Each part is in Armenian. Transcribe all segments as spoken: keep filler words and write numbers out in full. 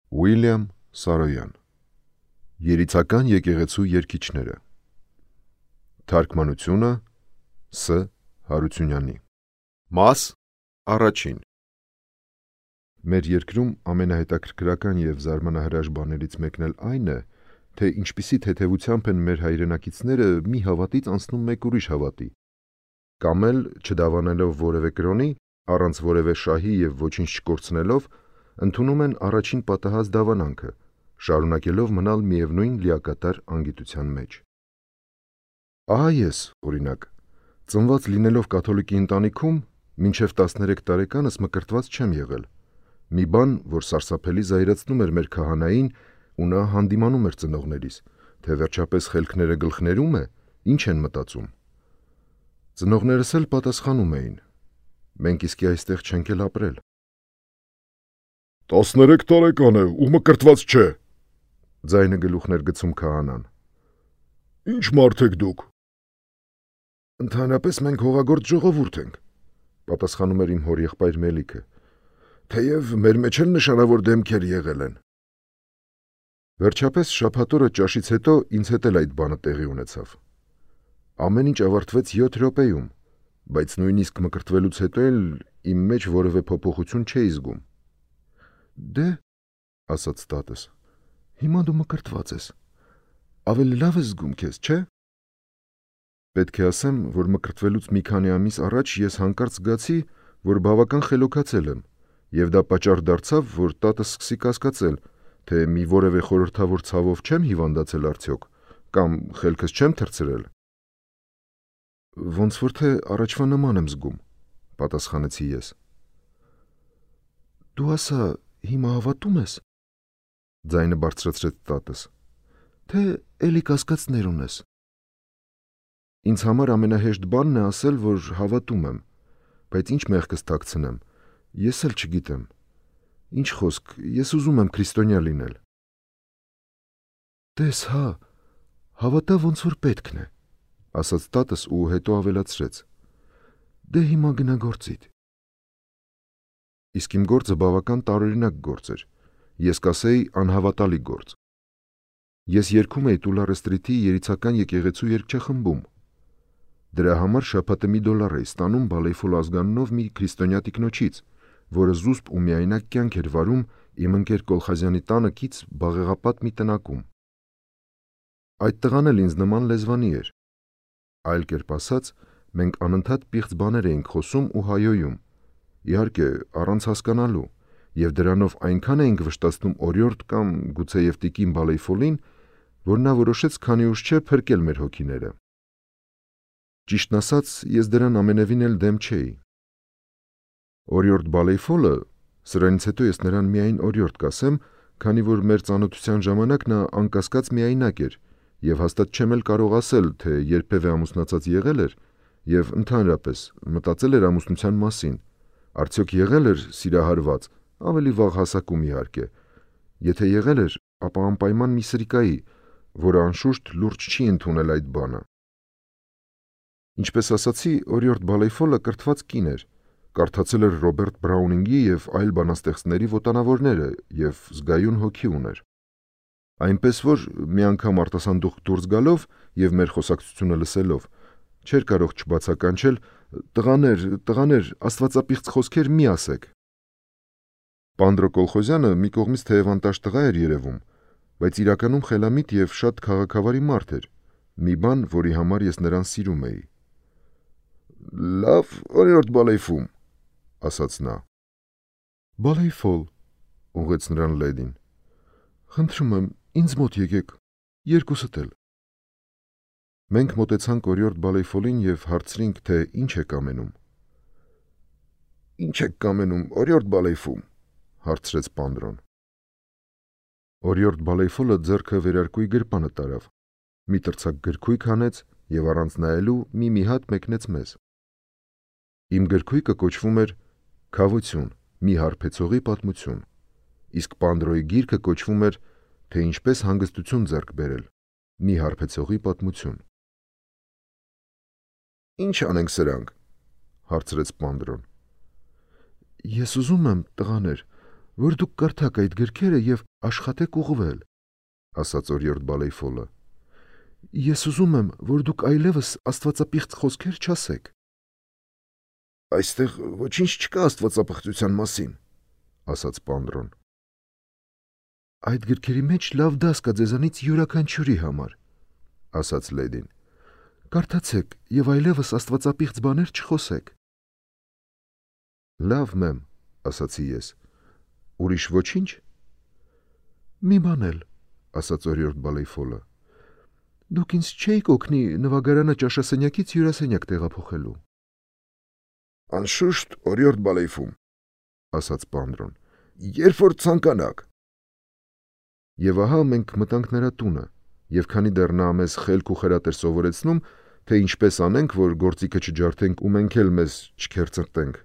Ուիլյամ Սարոյան Երիցական եկեղեցու երգիչները Թարգմանությունը Ս. Հարությունյանի Մաս առաջին Մեր երկրում ամենահետաքրքրական և զարմանահրաշ բաներից մեկն էլ այն է, թե ինչպիսի թեթևությամբ են մեր հայրենակիցները մի հավատից անցնում մեկ ուրիշ հավատի, կամ էլ, չդավանելով որևէ կրոնի, առանց որևէ շահի և ոչինչ չկորցնելով, ընդունում են առաջին պատահած դավանանքը, շարունակելով մնալ միևնույն լիակատար անգիտության մեջ։ Ահա ես, օրինակ, ծնված լինելով կաթոլիկի ընտանիքում, մինչև տասներեք տարեկանս մկրտված չեմ եղել, մի բան, որ սարսափելի զայրացնում էր մեր քահանային, ու նա հանդիմանում էր ծնողներիս, թե վերջապես խելքները գլխներում է, ինչ են մտածում։ Ծնողներս էլ պատասխանում էին. մենք իսկի այստեղ չենք էլ ապրել։ Տասներեք տարեկան է ու մկրտված չէ, ձայնը գլուխներ գցում քահանան։ Ինչ մարդ եք դուք։ Ընդհանրապես մենք հողագործ ժողովուրդ ենք, պատասխանում էր իմ հորեղբայր Մելիքը, թեև մեր մեջ էլ նշանավոր դեմքեր եղել են։ Վերջապես շաբաթ օրը ճաշից հետո ինձ հետ էլ այդ բանը տեղի ունեցավ։ Ամեն ինչ ավարտվեց յոթ րոպեում, բայց նույնիսկ մկրտվելուց հետո էլ իմ մեջ որևէ փոփոխություն չէի զգում։ Դե, ասաց տատս, հիմա դու մկրտված ես, ավելի լավ ես զգում քեզ, չէ՞։ Պետք է ասեմ, որ մկրտվելուց մի քանի ամիս առաջ ես հանկարծ զգացի, որ բավական խելոքացել եմ, և դա պատճառ դարձավ, որ տատս սկսի կասկածել, թե մի որևէ խորհրդավոր ցավով չեմ հիվանդացել արդյոք, կամ խելքս չեմ թռցրել։ Ոնց որ թե առաջվա նման եմ զգում, պատասխանեցի ես։ Դու ասա, հիմա հավատում ես, ձայնը բարձրացրեց տատս, թե էլի կասկածներ ունես։ Ինձ համար ամենահեշտ բանն է ասել, որ հավատում եմ, բայց ինչ մեղքս թաքցնեմ, ես էլ չգիտեմ։ Ինչ խոսք, ես ուզում եմ քրիստոնյա լինել։ Տես հա, հավատա ոնց որ պետքն է, ասաց տատս ու հետո ավելացրեց. Դե հիմա գնա գործիդ։ Իսկ իմ գործը բավական տարօրինակ գործ էր, ես կասեի անհավատալի գործ։ Ես երգում էի Տուլա Ռեստրիթի երիցական եկեղեցու երգչախմբում։ Դրա համար շաբաթը մի դոլար էի ստանում Բալեյֆոլ ազգանունով մի քրիստոնյա տիկնոջից, որը զուսպ ու միայնակ կյանք էր վարում իմ ընկեր Կոլխազյանի տանը կից բաղեղապատ մի տնակում։ Այդ տղան էլ ինձ նման լեզվանի էր։ Այլ կերպ ասած, մենք անընդհատ պիղծ բաներ էինք խոսում ու հայոյում, իհարկե առանց հասկանալու, և դրանով այնքան էինք վշտացնում օրիորդ կամ գուցեև տիկին Բալեյֆոլին, որ նա որոշեց քանի ուշ չէ փրկել մեր հոգիները։ Ճիշտն ասած, ես դրան ամենևին էլ դեմ չէի։ Օրիորդ Բալեյֆոլը, սրանից հետո ես նրան միայն օրիորդ կասեմ, քանի որ մեր ծանոթության ժամանակ նա անկասկած միայնակ էր, և հաստատ չեմ էլ կարող ասել, թե երբևէ ամուսնացած եղել էր, և ընդհանրապես մտածել էր ամուսնության մասին, արդյոք եղել էր սիրահարված, ավելի վաղ հասակում իհարկե, եթե եղել էր, ապա անպայման մի սրիկայի, որը անշուշտ լուրջ չի ընդունել այդ բանը։ Ինչպես ասացի, օրիորդ Բալեյֆոլը կրթված կին էր, կարդացել էր Ռոբերտ Բրաունինգի և այլ բանաստեղծների ոտանավորները և զգայուն հոգի ուներ։ Այնպես որ մի անգամ արտասանդուղք դուրս գալով և մեր խոսակցությունը լսելով, չէր կարող չբացականչել. «Տղաներ, տղաներ, աստվածապիղծ խոսքեր մի ասեք»։ Պանդրո Կոլխոզյանը մի կողմից թեև անտաշ տղա էր երևում, բայց իրականում խելամիտ և շատ քաղաքավարի մարդ էր, մի բան, որի համար ես նրան սիրում էի։ Լավ, օրիորդ Բալեյֆում, ասաց նա։ Բալեյֆոլ, ուղղեց նրան լեդին, խնդրում եմ, ինձ մոտ եկեք, երկուսդ էլ։ Մենք մոտեցանք օրիորդ Բալեյֆոլին և հարցրինք, թե ինչ եք կամենում։ Ինչ եք կամենում, օրիորդ Բալեյֆում, հարցրեց Պանդրոն։ Օրիորդ Բալեյֆոլը ձեռքը վերարկուի գրպանը տարավ, մի տրցակ գրքույկ հանեց և առանց նայելու մի-մի հատ մեկնեց մեզ։ Իմ գրքույկը կոչվում էր «Քավություն, մի հարբեցողի պատմություն», իսկ Պանդրոյի գիրքը կոչվում էր «Թե ինչպես հանգստություն ձեռք բերել, մի հարբեցողի պատմություն»։ Ինչ անենք սրանք, հարցրեց Պանդրոն։ Ես ուզում եմ, տղաներ, որ դուք կարդաք այդ գրքերը եւ աշխատեք ուղղվել, ասաց օրիորդ Բալեյֆոլը։ Ես ուզում եմ, որ դուք այլևս աստվածապիղծ խոսքեր չասեք։ Այստեղ ոչինչ չկա աստվածապղծության մասին, ասաց Պանդրոն։ Այդ գրքերի մեջ լավ դաս կա ձեզանից յուրաքանչյուրի համար, ասաց լեդին։ Կարդացեք եւ այլևս աստվածապիղծ բաներ չխոսեք։ Լավ, մեմ, ասացի ես։ Ուրիշ ոչինչ։ Մի բան էլ, ասաց օրիորդ Բալեյֆոլը։ Դուք ինձ չէիք օգնի նվագարանը ճաշասենյակից հյուրասենյակ տեղափոխելու։ Անշուշտ, օրիորդ Բալեյֆում, ասաց Պանդրոն։ Երբ որ ցանկանաք։ Եվ ահա մենք մտանք նրա տունը, եւ քանի դեռ նա մեզ խելք ու խրատ էր սովորեցնում, թե ինչպես անենք, որ գործիքը չջարդենք ու մենք էլ մեզ չքերծրտենք,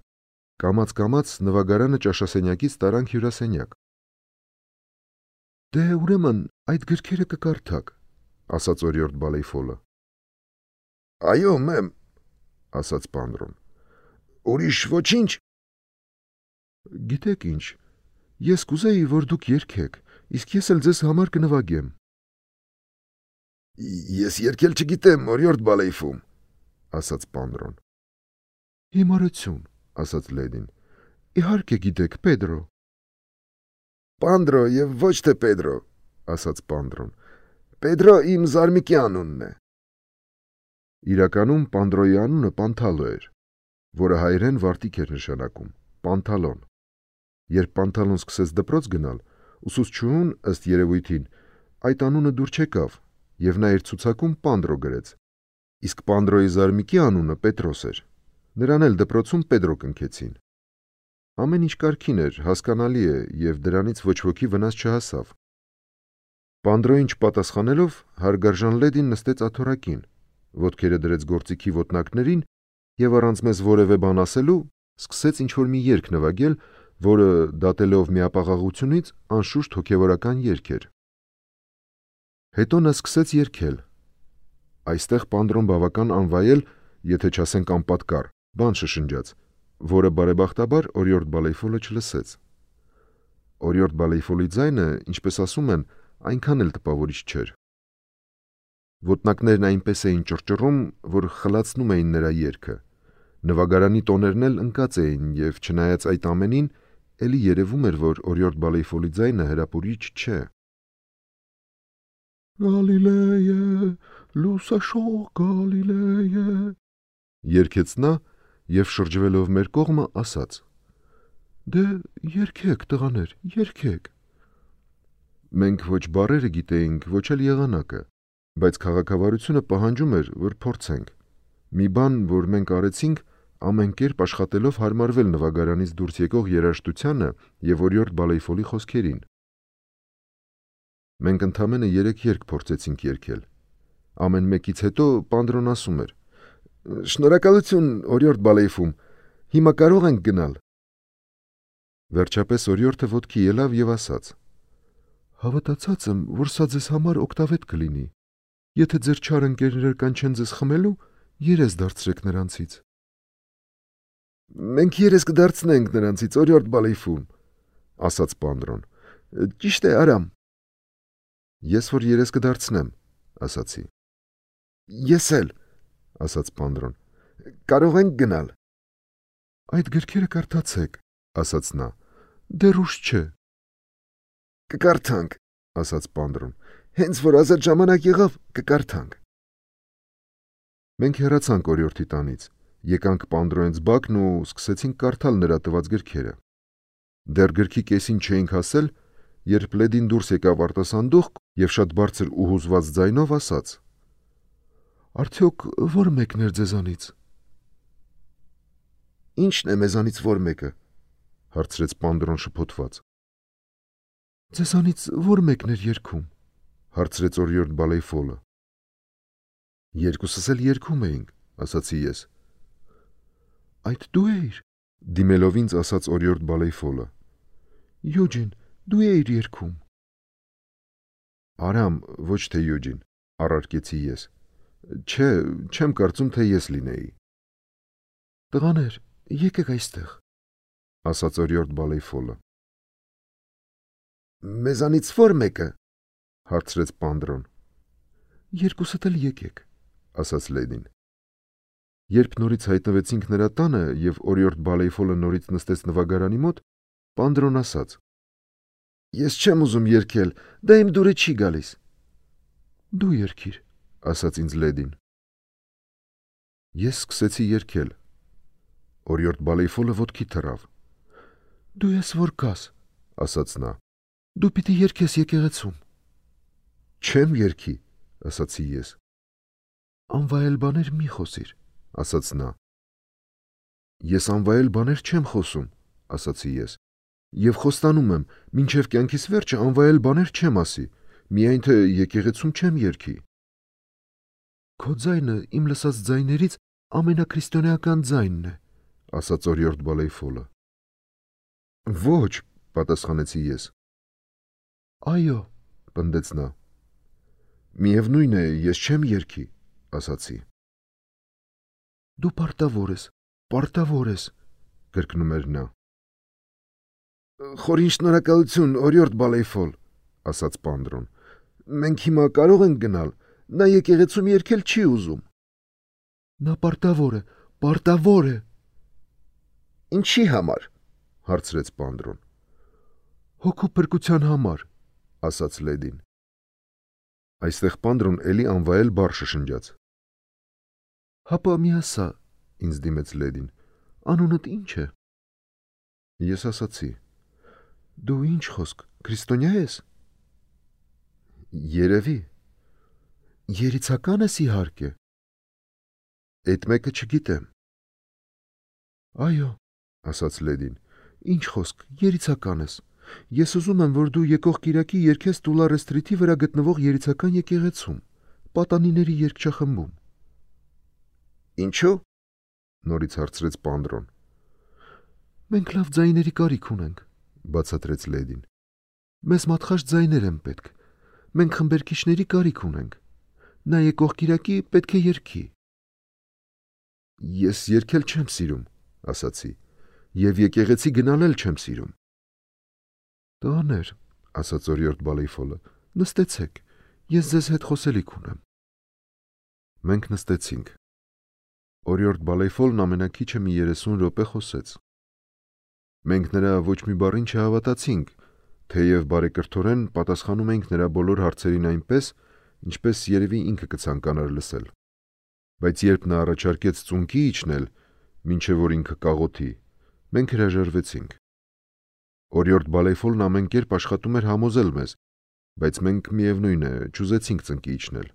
կամաց-կամաց նվագարանը ճաշասենյակից տարանք հյուրասենյակ։ Դե ուրեմն այդ գրքերը կկարդաք, ասաց օրիորդ Բալեյֆոլը։ Այո, մեմ, ասաց Պանդրոն։ Ուրիշ ոչինչ։ Գիտեք ինչ, ես կուզեի, որ դուք երգեք, իսկ ես էլ ձեզ համար կնվագեմ։ Ես երգել չգիտեմ, օրիորդ Բալեյֆում, ասաց Պանդրոն։ Հիմարություն, ասաց լեդին։ Իհարկե գիտեք, Պեդրո։ Պանդրո եւ ոչ թե Պեդրո, ասաց Պանդրոն։ Պեդրո իմ զարմիկի անունն է։ Իրականում Պանդրոյի անունը Պանթալո էր, որը հայերեն վարտիք էր նշանակում, Պանթալոն։ Երբ Պանթալոն սկսեց դպրոց գնալ, ուսուցչուհուն, ըստ երևույթին, այդ անունը դուր չեկավ, եւ նա իր ցուցակում Պանդրո գրեց։ Իսկ Պանդրոյի զարմիկի անունը Պետրոս էր։ Նրան էլ դպրոցում Պեդրո կնքեցին։ Ամեն ինչ կարգին էր, հասկանալի է, եւ դրանից ոչ ոքի վնաս չհասավ։ Պանդրոյին չպատասխանելով, հարգարժան լեդին նստեց աթոռակին, ոտքերը դրեց գործիքի ոտնակներին եւ առանց մեզ որևէ բան ասելու, սկսեց ինչ-որ մի երգ նվագել, որը դատելով միապաղաղությունից անշուշտ հոգևորական երգ էր։ Հետո նա սկսեց երգել։ Այստեղ Պանդրոն բավական անվայել, եթե չասենք անպատկառ, բան շշնջաց, որը բարեբախտաբար օրիորդ Բալեյֆոլը չլսեց։ Օրիորդ Բալեյֆոլի ձայնը, ինչպես ասում են, այնքան էլ տպավորիչ չէր։ Ոտնակներն այնպես էին ճռճռում, որ խլացնում էին նրա երգը։ Նվագարանի տոներն էլ ընկած էին եւ չնայած այդ ամենին, էլի երևում էր, որ օրիորդ Բալեյֆոլի ձայնը հրապուրիչ չէ։ Գալիլեյե, լուսաշող Գալիլեյե, երգեց նա եւ շրջվելով մեր կողմը ասաց. Դե երգեք, տղաներ, երգեք։ Մենք ոչ բառերը գիտեինք, ոչ էլ եղանակը, բայց քաղաքավարությունը պահանջում էր, որ փորձենք։ Մի բան, որ մենք արեցինք, ամեն կերպ աշխատելով հարմարվել նվագարանից դուրս եկող երաժշտությանը եւ օրիորդ Բալեյֆոլի խոսքերին։ Մենք ընդամենը երեք երգ փորձեցինք երգել։ Ամեն մեկից հետո Պանդրոն ասում էր. Շնորհակալություն, օրիորդ Բալեյֆում, հիմա կարող ենք գնալ։ Վերջապես օրիորդը ոտքի ելավ եւ ասաց. Հավատացած եմ, որ սա ձեզ համար օգտավետ կլինի։ Եթե ձեր չար ընկերները կանչեն ձեզ խմելու, երես դարձրեք նրանցից։ Մենք երես կդարձնենք նրանցից, օրիորդ Բալեյֆում, ասաց Պանդրոն։ Ճիշտ է, արամ։ Ես որ երես կդարձնեմ, ասացի։ Ես էլ, ասաց Պանդրոն։ Կարող ենք գնալ։ Այդ գրքերը կարդացեք, ասաց նա։ Դեռ ուշ չէ։ Կկարդանք, ասաց Պանդրոն։ Հենց որ ազատ ժամանակ եղավ, կկարդանք։ Մենք հեռացանք օրիորդի տանից, եկանք Պանդրոյից բակն ու սկսեցինք կարդալ նրա տված գրքերը։ Դեռ գրքի կեսին չէինք հասել, երբ լեդին դուրս եկավ արտասանդուղք եւ շատ բարձր ու հուզված ձայնով ասաց. Արդյոք ո՞ր մեկն էր ձեզանից։ Ի՞նչն է մեզանից ո՞ր մեկը, հարցրեց Պանդրոն շփոթված։ Ձեզանից ո՞ր մեկն էր երգում, հարցրեց օրիորդ Բալեյֆոլը։ Երկուսս էլ երգում էինք, ասացի ես։ Այդ դու էիր, դիմելով ինձ ասաց օրիորդ Բալեյֆոլը։ Յուջին, դու էիր երգում։ Արամ, ոչ թե Յուջին, առարկեցի ես։ Չէ, չեմ կարծում, թե ես լինեի։ Տղաներ, եկեք այստեղ, ասաց օրիորդ Բալեյֆոլը։ Մեզանից ո՞ր մեկը։ Հարցրեց Պանդրոն։ Երկուսդ էլ եկեք, ասաց Լեդին։ Երբ նորից հայտնվեցինք նրա տանը եւ օրիորդ Բալեյֆոլը նորից նստեց նվագարանի մոտ, Պանդրոն ասաց. Ես չեմ ուզում երգել, դա իմ դուրը չի գալիս։ Դու երգիր, ասաց ինձ Լեդին։ Ես սկսեցի երգել։ Օրիորդ Բալեյֆոլը ոտքի թռավ։ Դու ես որ կաս, ասաց նա։ Դու պիտի երգես եկեղեցում։ Չեմ երգի, ասացի ես։ Անվայել բաներ մի խոսիր, ասաց նա։ Ես անվայել բաներ չեմ խոսում, ասացի ես։ Եվ խոստանում եմ, մինչև կյանքիս վերջը անվայել բաներ չեմ ասի, միայն թե եկեղեցում չեմ երգի։ Քո ձայնը իմ լսած ձայներից ամենաքրիստոնեական ձայնն է, ասաց օրիորդ Բալեյֆոլը։ Ոչ, պատասխանեցի ես։ Այո, պնդեց նա։ Միևնույն է, ես չեմ երգի, ասացի։ Դու պարտավոր ես, պարտավոր ես, կրկնում էր նա։ Խորին շնորհակալություն, օրիորդ Բալեյֆոլ, ասաց Պանդրոն։ Մենք հիմա կարող ենք գնալ, նա եկեղեցում երգել չի ուզում։ Նա պարտավոր է, պարտավոր է։ Ինչի համար, հարցրեց Պանդրոն։ Հոգու փրկության համար, ասաց Լեդին։ Այստեղ Պանդրոն էլի անվայել բառ շշնջաց։ Հապա մի ասա, ինձ դիմեց Լեդին, անունդ ինչ է։ Ես ասացի. Դու ինչ խոսք, քրիստոնյա ես։ Երևի։ Երիցական ես իհարկե։ Էդ մեկը չգիտեմ։ Այո, ասաց Լեդին, ինչ խոսք, երիցական ես։ Ես ուզում եմ, որ դու եկող կիրակի երգես Տուլարե սթրիթի վրա գտնվող երիցական եկեղեցում, պատանիների երգչախմբում։ Ինչու՞։ Նորից հարցրեց Պանդրոն։ Մենք լավ ձայների կարիք ունենք, բացատրեց Լեդին։ Մեզ մատխաշ ձայներ են պետք։ Մենք խմբերքիչների կարիք ունենք։ Նա եկող կիրակի պետք է երգի։ Ես երգել չեմ սիրում, ասացի, եւ եկեղեցի գնալ էլ չեմ սիրում։ Տաներ, ասաց օրիորդ Բալեյֆոլը, նստեցեք, ես ձեզ հետ խոսելիք ունեմ։ Մենք նստեցինք։ Օրիորդ Բալեյֆոլն ամենակիչը մի երեսուն րոպե խոսեց։ Մենք նրա ոչ մի բառին չհավատացինք, թեև բարեկրթորեն պատասխանում էինք նրա բոլոր հարցերին այնպես, ինչպես երևի ինքը կցանկանար լսել։ Բայց երբ նա առաջարկեց ծունկի իջնել, մինչև որ ինքը կաղոթի, մենք հրաժարվեցինք։ Օրիորդ Բալեյֆոլն ամեն կերպ աշխատում էր համոզել մեզ, բայց մենք միևնույն է, չուզեցինք ծնկի իջնել։